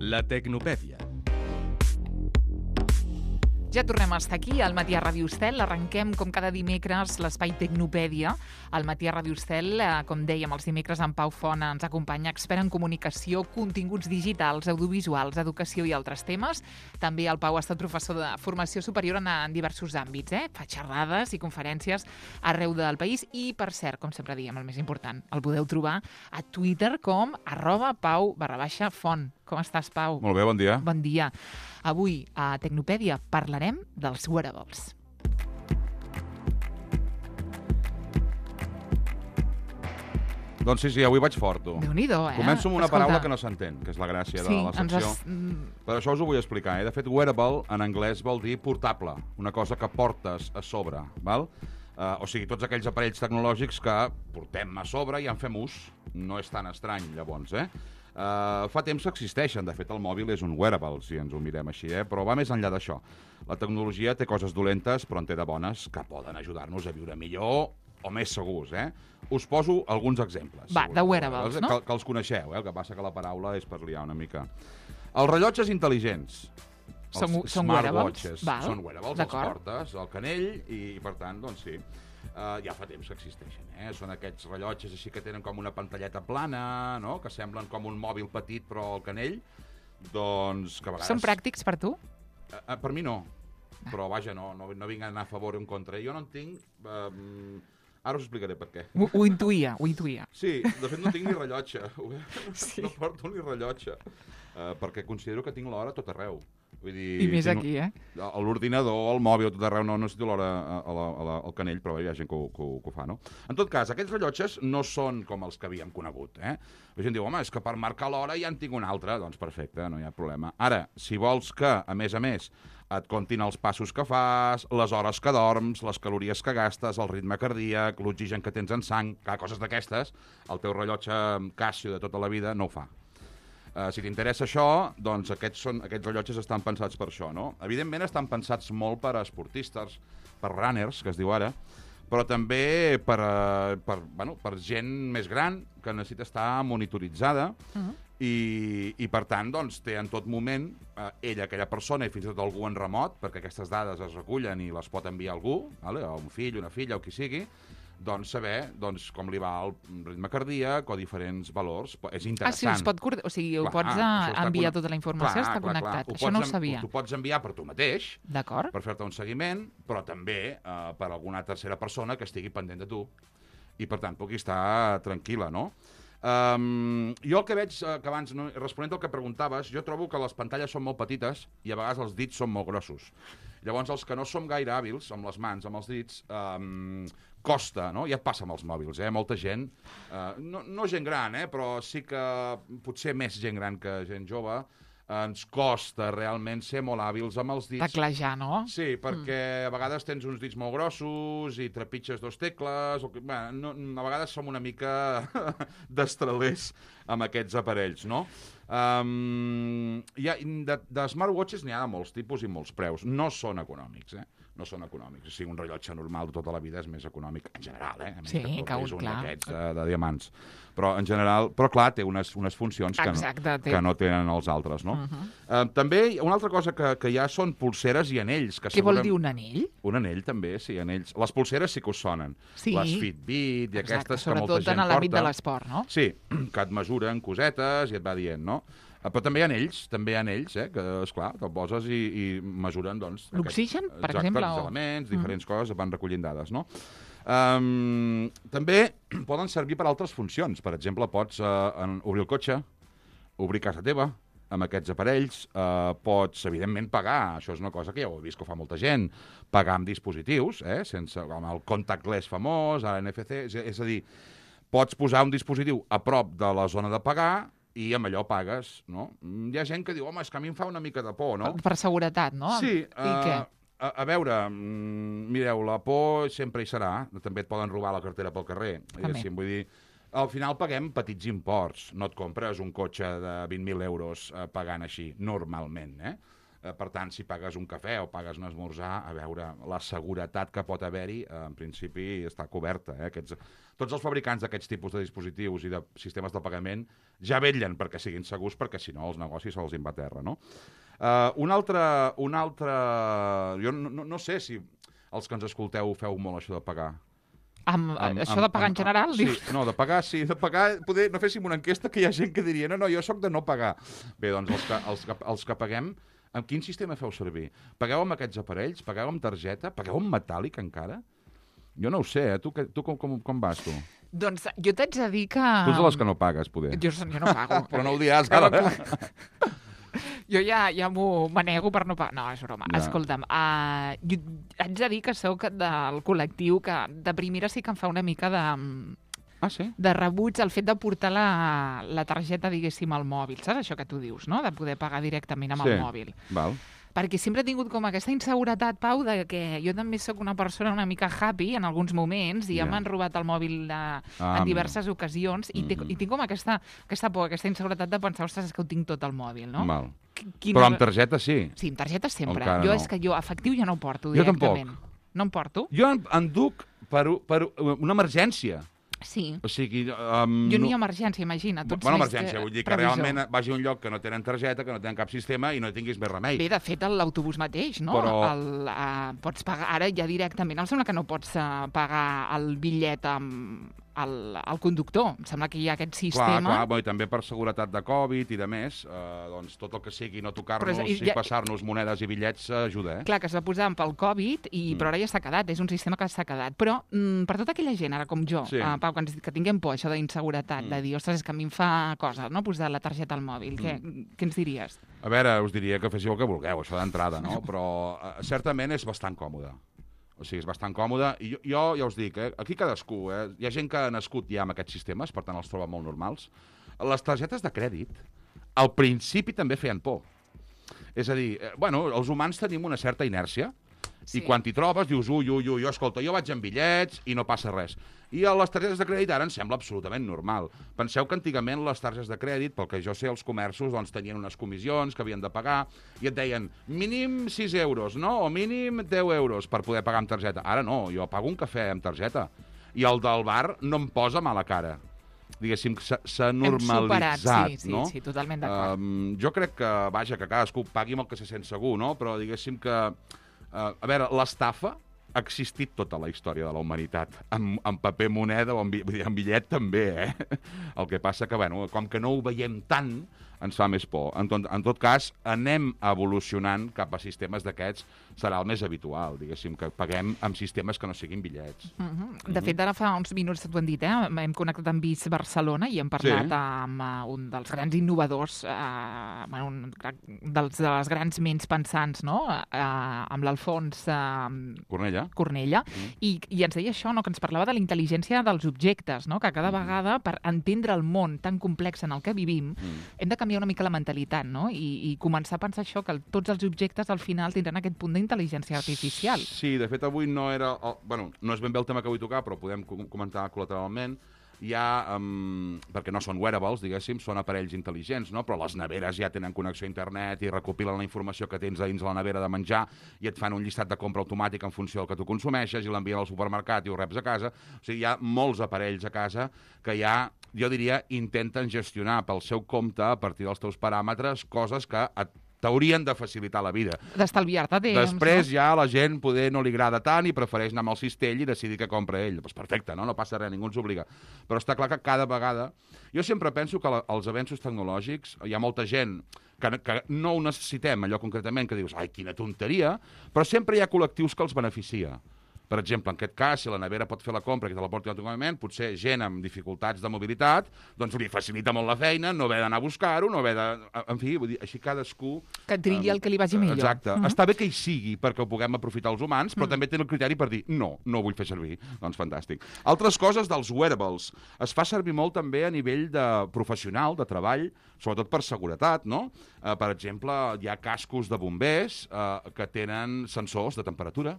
La Tecnopèdia. Ja tornem a estar aquí, al Matí a Ràdio Estel. Arrenquem, com cada dimecres, l'espai Tecnopèdia. Al Matí a Ràdio Estel, com dèiem, els dimecres en Pau Font ens acompanya, expert en comunicació, continguts digitals, audiovisuals, educació i altres temes. També el Pau ha estat professor de formació superior en diversos àmbits. Fa xerrades i conferències arreu del país. I, per cert, com sempre diem, el més important, el podeu trobar a Twitter com @Pau_Font. Com estàs, Pau? Molt bé, bon dia. Bon dia. Avui, a Tecnopèdia, parlarem dels wearables. Doncs sí, avui vaig fort, tu. Déu-n'hi-do, Començo amb una Escolta. paraula que no s'entén, que és la gràcia de la secció. Per això us ho vull explicar. De fet, wearable, en anglès, vol dir portable, una cosa que portes a sobre, val? O sigui, tots aquells aparells tecnològics que portem a sobre i en fem ús. No és tan estrany, llavors, fa temps que existeixen. De fet, el mòbil és un wearable, si ens ho mirem així, però va més enllà d'això. La tecnologia té coses dolentes, però en té de bones que poden ajudar-nos a viure millor o més segurs, Us poso alguns exemples. Va, de wearables, no? Que els coneixeu, el que passa que la paraula és per liar una mica. Els rellotges intel·ligents. Són smartwatches. wearables? Són wearables, els portes al canell i, per tant, doncs sí. Ja fa temps que existeixen, Són aquests rellotges així que tenen com una pantalleta plana, no? Que semblen com un mòbil petit però al canell. Doncs que a vegades... Són pràctics per tu? Per mi no. Però vaja, no vinc a anar a favor o en contra. Jo no en tinc... Ara us explicaré per què. Ho intuïa. Sí, de fet no tinc ni rellotge. No porto ni rellotge. Perquè considero que tinc l'hora a tot arreu. Vull dir, i més aquí, A l'ordinador, al mòbil, a tot arreu, no necessito l'hora al canell, però hi ha gent que ho fa, no? En tot cas, aquests rellotges no són com els que havíem conegut, La gent diu, home, és que per marcar l'hora ja en tinc un altre. Doncs perfecte, no hi ha problema. Ara, si vols que, a més, et comptin els passos que fas, les hores que dorms, les calories que gastes, el ritme cardíac, l'oxigen que tens en sang, coses d'aquestes, el teu rellotge Casio de tota la vida no ho fa. Si t'interessa això, doncs aquests rellotges estan pensats per això, no? Evidentment estan pensats molt per a esportistes, per runners, que es diu ara, però també per gent més gran que necessita estar monitoritzada i per tant, doncs, té en tot moment aquella persona i fins i tot algú en remot, perquè aquestes dades es recullen i les pot enviar algú, a un fill, una filla o qui sigui, doncs saber com li va el ritme cardíac o diferents valors. És interessant. Sí, ho pots enviar tota la informació, està connectat. Això no ho sabia. T'ho pots enviar per tu mateix, d'acord, per fer-te un seguiment, però també per alguna tercera persona que estigui pendent de tu i, per tant, pugui estar tranquil·la, no? Jo el que veig, que abans, responent al que preguntaves, jo trobo que les pantalles són molt petites i a vegades els dits són molt grossos. Llavors, els que no som gaire hàbils amb les mans, amb els dits, costa, no? Ja et passa amb els mòbils, Molta gent, no gent gran, però sí que potser més gent gran que gent jove, ens costa realment ser molt hàbils amb els dits. Teclejar, no? Sí, perquè a vegades tens uns dits molt grossos i trepitges dos tecles. A vegades som una mica destralers amb aquests aparells, no? De smartwatches n'hi ha de molts tipus i molts preus. No són econòmics, No són econòmics. O sigui, un rellotge normal de tota la vida és més econòmic, en general, Sí, que és un d'aquests de diamants. Però, en general, clar, té unes funcions que no tenen els altres, no? També, una altra cosa que hi ha són pulseres i anells. Què vol dir un anell? Un anell, també, sí, anells. Les pulseres sí que us sonen. Les Fitbit i aquestes que molta gent porta. Sobretot en l'àmbit de l'esport, no? Sí, que et mesuren cosetes i et va dient, no? Però també hi ha anells, que, esclar, te'l poses i mesuren, doncs... L'oxigen, per exemple? Exacte, els elements, diferents coses, van recollint dades, no? També poden servir per altres funcions. Per exemple, pots obrir el cotxe, obrir casa teva, amb aquests aparells, pots, evidentment, pagar. Això és una cosa que ja ho he vist que fa molta gent. Pagar amb dispositius, com el contactless famós, NFC, és a dir, pots posar un dispositiu a prop de la zona de pagar i amb allò pagues, no? Hi ha gent que diu, home, és que a mi em fa una mica de por, no? Per seguretat, no? Sí. I què? A veure, mireu, la por sempre hi serà. També et poden robar la cartera pel carrer. Vull dir, al final paguem petits imports. No et compres un cotxe de 20.000 euros pagant així, normalment, Per tant, si pagues un cafè o pagues un esmorzar, a veure, la seguretat que pot haver-hi, en principi, està coberta. Tots els fabricants d'aquests tipus de dispositius i de sistemes de pagament ja vetllen perquè siguin segurs, perquè si no els negocis se'ls va a terra, no? Un altre... Jo no sé si els que ens escolteu feu molt això de pagar. Això de pagar en general? Sí, no, de pagar, sí. De pagar, poder, no féssim una enquesta que hi ha gent que diria no, jo sóc de no pagar. Bé, doncs els que paguem, amb quin sistema feu servir? Pagueu amb aquests aparells? Pagueu amb targeta? Pagueu amb metàl·lic encara? Jo no ho sé, Tu com vas, tu? Doncs jo t'haig de dir que... Tu ets de les que no pagues, poder. Jo no pago. Però no ho diràs, ara. Jo ja m'ho nego per no pagar. No, és broma. Ja. Escolta'm, jo haig de dir que sóc del col·lectiu que de primera sí que em fa una mica de... Sí? De rebuig el fet de portar la targeta, diguéssim, al mòbil. Saps això que tu dius, no? De poder pagar directament amb el mòbil. Val. Perquè sempre he tingut com aquesta inseguretat, Pau, de que jo també sóc una persona una mica happy en alguns moments i ja m'han robat el mòbil en diverses ocasions i tinc com aquesta por, aquesta inseguretat de pensar, ostres, és que ho tinc tot al mòbil, no? Val. Però amb targeta sí? Sí, amb targeta sempre. Encara És que jo efectiu ja no porto Jo directament. tampoc. No em porto? Jo en duc per una emergència. Sí. O sigui... jo no hi ha emergència, imagina. Emergència, vull dir que realment vagi a un lloc que no tenen targeta, que no tenen cap sistema i no tinguis més remei. Bé, de fet, l'autobús mateix, no? Pots pagar, ara ja directament, em sembla que no pots pagar el bitllet amb el conductor. Em sembla que hi ha aquest sistema. Clar, i també per seguretat de Covid i de més, doncs tot el que sigui no tocar-nos i passar-nos monedes i bitllets ajuda, Clar, que es va posar pel Covid, però ara ja s'ha quedat, és un sistema que s'ha quedat. Però per tota aquella gent, ara com jo, Pau, que tinguem por, això d'inseguretat, de dir, ostres, és que a mi em fa cosa, no?, posar la targeta al mòbil. Què ens diries? A veure, us diria que féssiu el que vulgueu, això d'entrada, no? Però certament és bastant còmode. O sigui, és bastant còmode. I jo ja us dic, aquí cadascú, hi ha gent que ha nascut ja amb aquests sistemes, per tant els troba molt normals. Les targetes de crèdit, al principi també feien por. És a dir, els humans tenim una certa inèrcia, i quan t'hi trobes dius, escolta, jo vaig amb bitllets i no passa res. I a les targetes de crèdit ara ens sembla absolutament normal. Penseu que antigament les targetes de crèdit, pel que jo sé, els comerços tenien unes comissions que havien de pagar i et deien mínim 6 euros, no? O mínim 10 euros per poder pagar amb targeta. Ara no, jo pago un cafè amb targeta. I el del bar no em posa mala cara. Diguéssim, s'ha normalitzat, no? Sí, totalment d'acord. Jo crec que, que cadascú pagui amb el que se sent segur, no? Però diguéssim que, a veure, l'estafa ha existit tota la història de la humanitat, en paper moneda o en bitllet també, El que passa que, com que no ho veiem tant, ens fa més por. En tot cas, anem evolucionant cap a sistemes d'aquests, serà el més habitual, diguéssim, que paguem amb sistemes que no siguin bitllets. De fet, ara fa uns minuts t'ho hem dit, hem connectat amb Vis Barcelona i hem parlat amb un dels grans innovadors, de les grans ments pensants, no?, amb l'Alfons Cornella, i ens deia això, que ens parlava de la intel·ligència dels objectes, no?, que cada vegada, per entendre el món tan complex en el que vivim, hem de canviar una mica la mentalitat, no?, i començar a pensar això, que tots els objectes al final tindran aquest punt d'intel·ligència artificial. Sí, de fet avui no era... no és ben bé el tema que vull tocar, però podem comentar col·lateralment. Hi ha, perquè no són wearables, diguéssim, són aparells intel·ligents, no? Però les neveres ja tenen connexió a internet i recopilen la informació que tens a dins la nevera de menjar i et fan un llistat de compra automàtic en funció del que tu consumeixes i l'envien al supermercat i ho reps a casa. O sigui, hi ha molts aparells a casa que ja, jo diria, intenten gestionar pel seu compte, a partir dels teus paràmetres, coses que t'haurien de facilitar la vida. D'estalviar-te temps. Després ja la gent poder no li agrada tant i prefereix anar amb el cistell i decidir què compra ell. Doncs perfecte, no passa res, ningú ens obliga. Però està clar que cada vegada... Jo sempre penso que els avenços tecnològics, hi ha molta gent que no ho necessitem, allò concretament, que dius, ai, quina tonteria, però sempre hi ha col·lectius que els beneficia. Per exemple, en aquest cas, si la nevera pot fer la compra i te la porti automàticament, potser gent amb dificultats de mobilitat, doncs li facilita molt la feina, no haver d'anar a buscar-ho, no haver de... En fi, vull dir, així cadascú... Que trilli el que li vagi millor. Exacte. Està bé que hi sigui perquè ho puguem aprofitar els humans, però també té el criteri per dir no ho vull fer servir. Doncs fantàstic. Altres coses dels wearables. Es fa servir molt també a nivell de professional, de treball, sobretot per seguretat, no? Per exemple, hi ha cascos de bombers que tenen sensors de temperatura,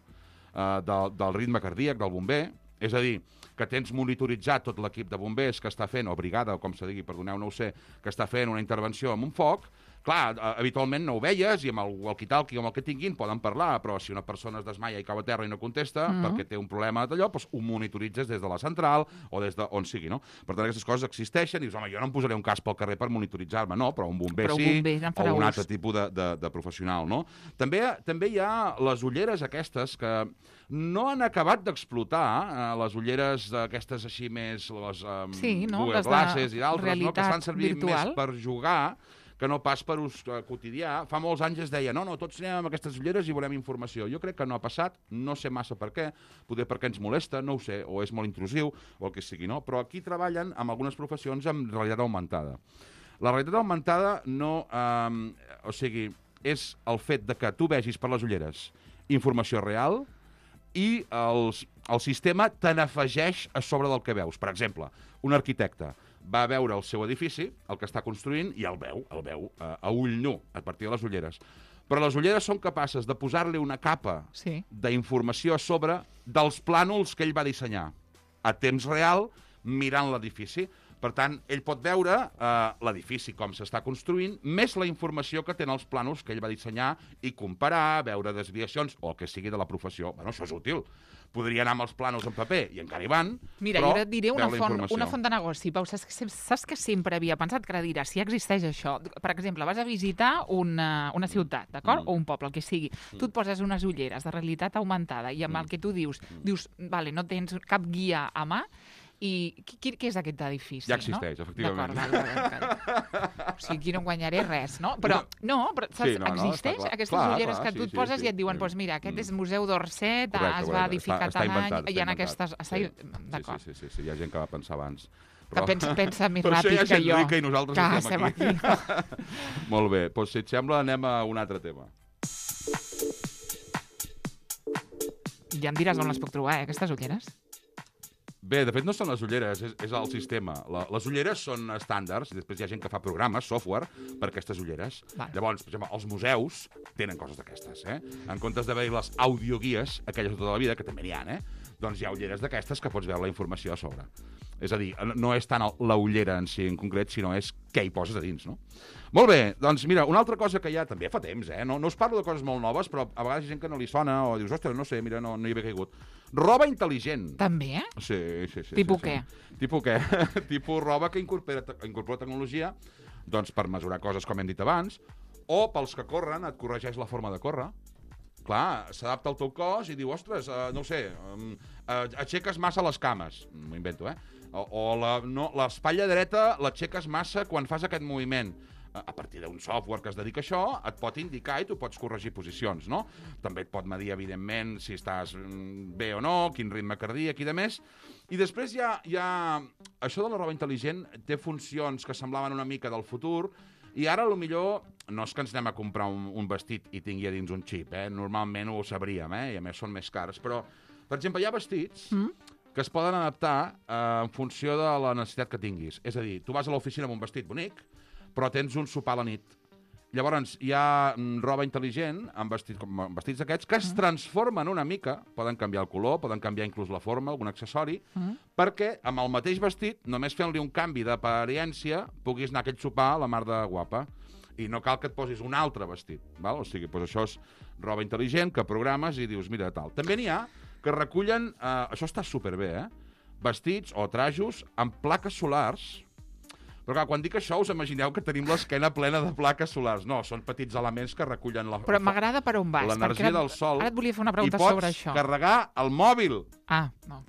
del ritme cardíac del bomber, és a dir, que tens monitoritzat tot l'equip de bombers que està fent, o brigada, o com se digui, perdoneu, no ho sé, que està fent una intervenció amb un foc. Clar, habitualment no ho veies i amb el walkie-talkie o amb el que tinguin poden parlar, però si una persona es desmaia i cau a terra i no contesta perquè té un problema d'allò, doncs ho monitoritzes des de la central o des d'on sigui, no? Per tant, aquestes coses existeixen i dius, home, jo no em posaré un cas pel carrer per monitoritzar-me, no, però un bomber sí, o un altre tipus de professional, no? També hi ha les ulleres aquestes que no han acabat d'explotar, les ulleres aquestes així més, les Google Glasses i d'altres, no? Que estan servint més per jugar que no pas per ús quotidià. Fa molts anys es deia, no, tots anem amb aquestes ulleres i volem informació. Jo crec que no ha passat, no sé massa per què, potser perquè ens molesta, no ho sé, o és molt intrusiu, o el que sigui, no? Però aquí treballen amb algunes professions amb realitat augmentada. La realitat augmentada no... o sigui, és el fet de que tu vegis per les ulleres informació real i el sistema te n'afegeix a sobre del que veus. Per exemple, un arquitecte va veure el seu edifici, el que està construint, i el veu a ull nu, a partir de les ulleres. Però les ulleres són capaces de posar-li una capa d'informació a sobre dels plànols que ell va dissenyar, a temps real, mirant l'edifici. Per tant, ell pot veure l'edifici, com s'està construint, més la informació que tenen els plànols que ell va dissenyar i comparar, veure desviacions, o el que sigui de la professió. Bueno, això és útil. Podria anar amb els plànols en paper, i encara hi van, Mira, jo et diré una font de negoci, Pau. Saps que sempre havia pensat que ara diràs, si existeix això. Per exemple, vas a visitar una ciutat, d'acord? O un poble, el que sigui. Tu et poses unes ulleres de realitat augmentada i amb el que tu dius, vale, no tens cap guia a mà, i què és aquest edifici? Ja existeix, efectivament. D'acord. O sigui, aquí no guanyaré res, no? Però saps, existeix aquestes ulleres que tu et poses i et diuen, doncs mira, aquest és Museu d'Orsay, es va edificar tal any, i en aquestes... D'acord. Sí, hi ha gent que va pensar abans. Que pensa més ràpid que jo. Per això hi ha gent rica i nosaltres estem aquí. Molt bé, doncs si et sembla anem a un altre tema. Ja em diràs on les puc trobar, aquestes ulleres? Bé, de fet no són les ulleres, és el sistema. Les ulleres són estàndards, i després hi ha gent que fa programes, software, per aquestes ulleres. Llavors, per exemple, els museus tenen coses d'aquestes, En comptes d'haver les audioguies, aquelles de tota la vida, que també n'hi ha, doncs hi ha ulleres d'aquestes que pots veure la informació a sobre. És a dir, no és tant la ullera en si en concret, sinó és què hi poses a dins, no? Molt bé, doncs mira, una altra cosa que ja també fa temps, no us parlo de coses molt noves, però a vegades hi ha gent que no li sona o dius, ostres, no sé, mira, no hi havia caigut. Roba intel·ligent. També? Sí. Tipus què? Tipus què? Tipus roba que incorpora tecnologia, doncs per mesurar coses com hem dit abans, o pels que corren et corregeix la forma de córrer. Clar, s'adapta al teu cos i diu, ostres, no ho sé, aixeques massa les cames, m'ho invento, o l'espatlla dreta l'aixeques massa quan fas aquest moviment. A partir d'un software que es dedica a això, et pot indicar i tu pots corregir posicions, no? També et pot medir, evidentment, si estàs bé o no, quin ritme cardíac i de més. I després hi ha... Això de la roba intel·ligent té funcions que semblaven una mica del futur, i ara, millor no és que ens anem a comprar un vestit i tingui a dins un xip, normalment ho sabríem, i a més són més cars, però, per exemple, hi ha vestits que es poden adaptar en funció de la necessitat que tinguis. És a dir, tu vas a l'oficina amb un vestit bonic, però tens un sopar a la nit. Llavors, hi ha roba intel·ligent amb vestits aquests que es transformen una mica, poden canviar el color, poden canviar inclús la forma, algun accessori, perquè amb el mateix vestit, només fent-li un canvi d'apariència, puguis anar a aquell sopar a la mar de guapa. I no cal que et posis un altre vestit. Val? O sigui, doncs això és roba intel·ligent que programes i dius, mira, tal. També n'hi ha que recullen, això està superbé, vestits o trajos amb plaques solars. Però clar, quan dic això, us imagineu que tenim l'esquena plena de plaques solars. No, són petits elements que recullen Però m'agrada per on vas. L'energia del sol. Ara et volia fer una pregunta sobre això. I pots carregar el mòbil. No.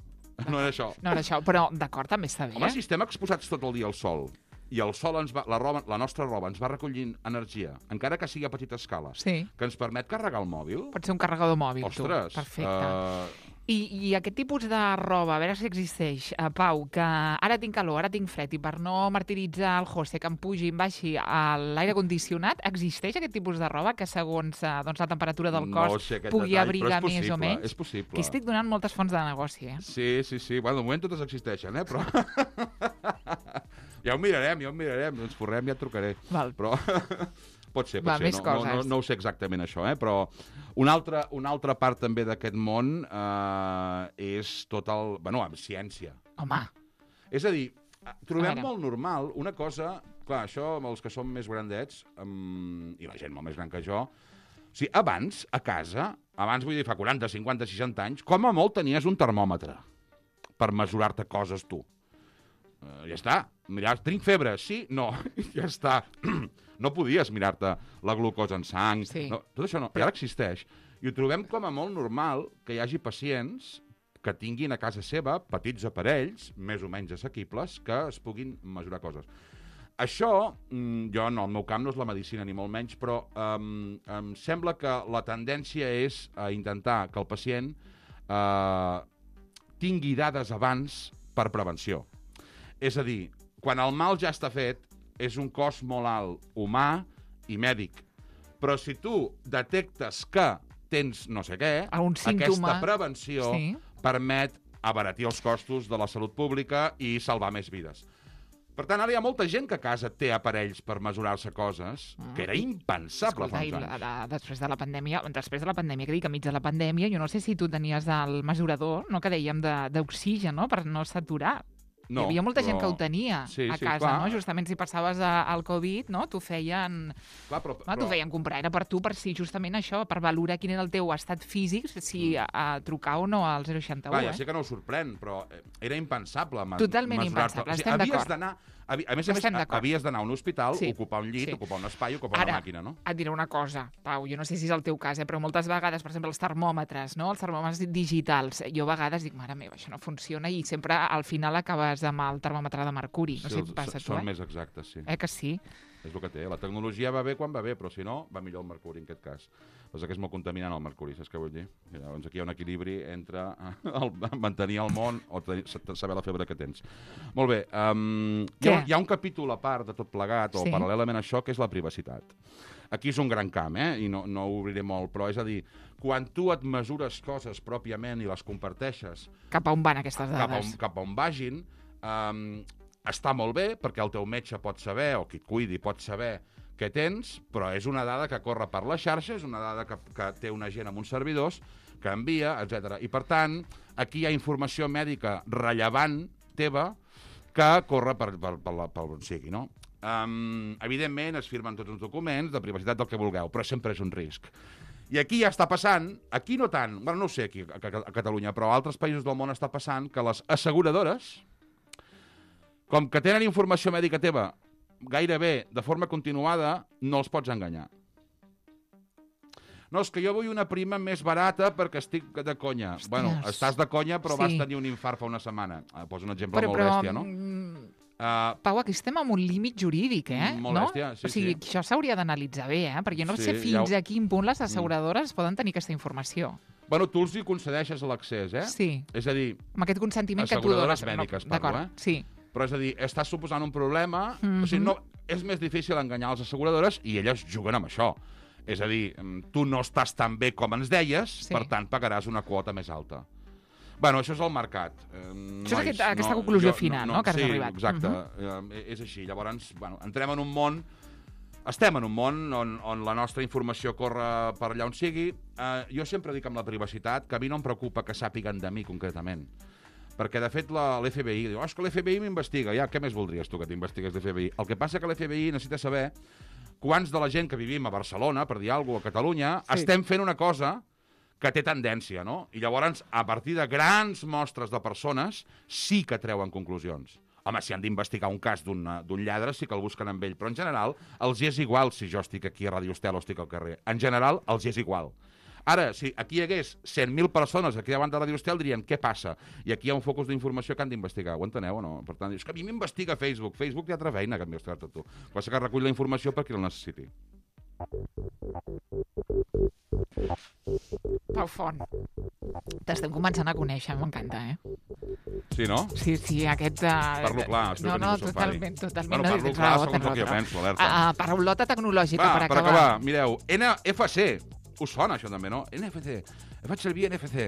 No era això. No era això, però d'acord, també està bé. Home, si estem exposats tot el dia al sol, i el sol la nostra roba ens va recollint energia, encara que sigui a petita escala, que ens permet carregar el mòbil. Pot ser un carregador mòbil, ostres, tu. Perfecte. I aquest tipus de roba, a veure si existeix, Pau, que ara tinc calor, ara tinc fred, i per no martiritzar el José, que em pugi i em baixi a l'aire condicionat, existeix aquest tipus de roba que segons la temperatura del cos pugui abrigar més o menys? És possible. Que estic donant moltes fonts de negoci, Sí. Bueno, de moment totes existeixen, però... Ja ho mirarem, ens forrem i et trucaré. Val. Però pot ser. No ho sé exactament això, però una altra part també d'aquest món és tot amb ciència. Home. És a dir, trobem molt normal una cosa... Clar, això, amb els que som més grandets, i la gent molt més gran que jo... O sigui, abans, a casa, abans vull dir fa 40, 50, 60 anys, com a molt tenies un termòmetre per mesurar-te coses tu. Ja està. Mirar, tinc febre, sí? No. Ja està. No podies mirar-te la glucosa en sang. Sí. No, tot això no. I ara existeix. I ho trobem com a molt normal que hi hagi pacients que tinguin a casa seva petits aparells, més o menys assequibles, que es puguin mesurar coses. Això, jo no, el meu camp no és la medicina ni molt menys, però em sembla que la tendència és a intentar que el pacient tingui dades abans per prevenció. És a dir, quan el mal ja està fet, és un cost molt alt humà i mèdic. Però si tu detectes que tens no sé què, aquesta prevenció permet abaratir els costos de la salut pública i salvar més vides. Per tant, ara hi ha molta gent que a casa té aparells per mesurar-se coses, que era impensable fa uns anys. Després de la pandèmia, que dic, enmig de la pandèmia, jo no sé si tu tenies el mesurador, no, que dèiem d'oxigen, no?, per no saturar. No, hi havia molta gent que ho tenia a casa, clar. no? Justament si passaves al Covid, no? T'ho feien... T'ho feien comprar, era per tu, per si justament això, per valorar quin era el teu estat físic, si trucar o no al 061. Clar, ja sé que no ho sorprèn, però era impensable totalment impensable, estem d'acord. A més, havies d'anar a un hospital, ocupar un llit, ocupar un espai, ocupar una màquina, no? Ara, et diré una cosa, Pau, jo no sé si és el teu cas, però moltes vegades, per exemple, els termòmetres, no?, els termòmetres digitals, jo a vegades dic, mare meva, això no funciona, i sempre al final acabes amb el termòmetre de mercuri. No sé si et passa a tu, Són més exactes, sí. Que sí? És el que té. La tecnologia va bé quan va bé, però si no, va millor el mercuri, en aquest cas. Però que és molt contaminant el mercuri, saps què vull dir? Llavors aquí hi ha un equilibri entre mantenir el món o saber la febre que tens. Molt bé. Hi ha un capítol a part de tot plegat, o paral·lelament a això, que és la privacitat. Aquí és un gran camp, i no ho obriré molt, però és a dir, quan tu et mesures coses pròpiament i les comparteixes... Cap a on van aquestes dades? Cap a on vagin... està molt bé, perquè el teu metge pot saber, o qui et cuidi pot saber què tens, però és una dada que corre per la xarxa, és una dada que té una gent amb uns servidors, que envia, etc. I, per tant, aquí hi ha informació mèdica rellevant teva que corre per on sigui, no? Evidentment, es firmen tots uns documents de privacitat del que vulgueu, però sempre és un risc. I aquí ja està passant, aquí no tant, bueno, no ho sé aquí a Catalunya, però a altres països del món està passant que les asseguradores, com que tenen informació mèdica teva gairebé de forma continuada, no els pots enganyar. No, és que jo vull una prima més barata perquè estic de conya. Hòsties. Bueno, estàs de conya, però vas tenir un infart fa una setmana. Poso un exemple molt bèstia, no? Pau, aquí estem amb un límit jurídic, Molt bèstia, sí. O sigui, això s'hauria d'analitzar bé, perquè no sé fins a quin punt les asseguradores poden tenir aquesta informació. Bueno, tu els hi concedeixes l'accés, Sí. És a dir... Amb aquest consentiment que tu dones. Asseguradores mèdiques, parlo, sí. Però és a dir, estàs suposant un problema... O sigui, no, és més difícil enganyar les asseguradores i elles juguen amb això. És a dir, tu no estàs tan bé com ens deies, per tant pagaràs una quota més alta. Bueno, això és el mercat. Això és aquesta conclusió final, no?, que has arribat. Sí, exacte. És així. Llavors, entrem en un món... Estem en un món on la nostra informació corre per allà on sigui. Jo sempre dic amb la privacitat que a mi no em preocupa que sàpiguen de mi concretament. Perquè, de fet, l'FBI diu, és que l'FBI m'investiga. Ja, què més voldries tu que t'investigues l'FBI? El que passa que l'FBI necessita saber quants de la gent que vivim a Barcelona, per dir alguna cosa, a Catalunya, estem fent una cosa que té tendència, no? I llavors, a partir de grans mostres de persones, sí que treuen conclusions. Home, si han d'investigar un cas d'un lladre, sí que el busquen amb ell. Però, en general, els hi és igual si jo estic aquí a Radio Estel o estic al carrer. En general, els hi és igual. Ara, si aquí hi hagués 100.000 persones aquí davant de Radio Estel, dirien, què passa? I aquí hi ha un focus d'informació que han d'investigar. Ho enteneu o no? Per tant, és que a mi m'investiga Facebook. Facebook té altra feina que investigar-te tu. Passa que recull la informació per qui la necessiti. Pau Font, t'estem començant a conèixer, m'encanta, Sí, no? Sí, aquest... Parlo clar, espero que ningú s'enfadi. Totalment. Bueno, parlo clar segons el que jo penso, alerta. Paraulota tecnològica, per acabar. Per acabar, mireu, NFC, us sona això també, no? NFC, faig servir NFC.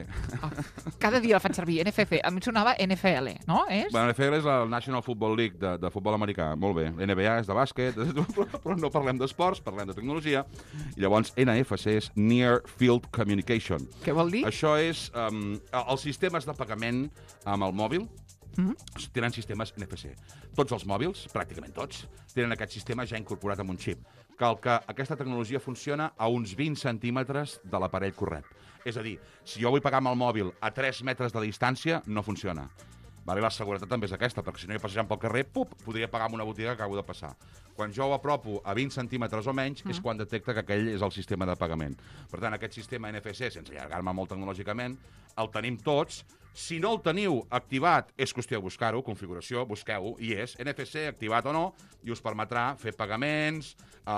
Cada dia el faig servir, NFC. A mi sonava NFL, no? Bueno, NFL és la National Football League de futbol americà. Molt bé. NBA és de bàsquet, però no parlem d'esports, parlem de tecnologia. I llavors NFC és Near Field Communication. Què vol dir? Això és els sistemes de pagament amb el mòbil, tenen sistemes NFC. Tots els mòbils, pràcticament tots, tenen aquest sistema ja incorporat amb un xip. Que aquesta tecnologia funciona a uns 20 centímetres de l'aparell corrent. És a dir, si jo vull pagar amb el mòbil a 3 metres de distància, no funciona. Vale, la seguretat també és aquesta, perquè si no hi passejant pel carrer, podria pagar amb una botiga que acabo de passar. Quan jo ho apropo a 20 centímetres o menys, és quan detecta que aquell és el sistema de pagament. Per tant, aquest sistema NFC, sense allargar-me molt tecnològicament, el tenim tots. Si no el teniu activat, és qüestió de buscar-ho, configuració, busqueu-ho, i és NFC activat o no, i us permetrà fer pagaments,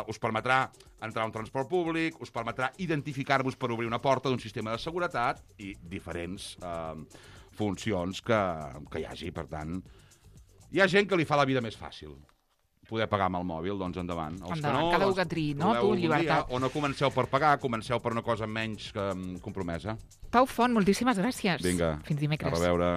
us permetrà entrar a un transport públic, us permetrà identificar-vos per obrir una porta d'un sistema de seguretat i diferents funcions que hi hagi. Per tant, hi ha gent que li fa la vida més fàcil poder pagar amb el mòbil, doncs endavant. Endavant, cada un que triï, no? Tu, llibertat. O no comenceu per pagar, comenceu per una cosa menys compromesa. Pau Font, moltíssimes gràcies. Vinga, fins dimecres. A reveure.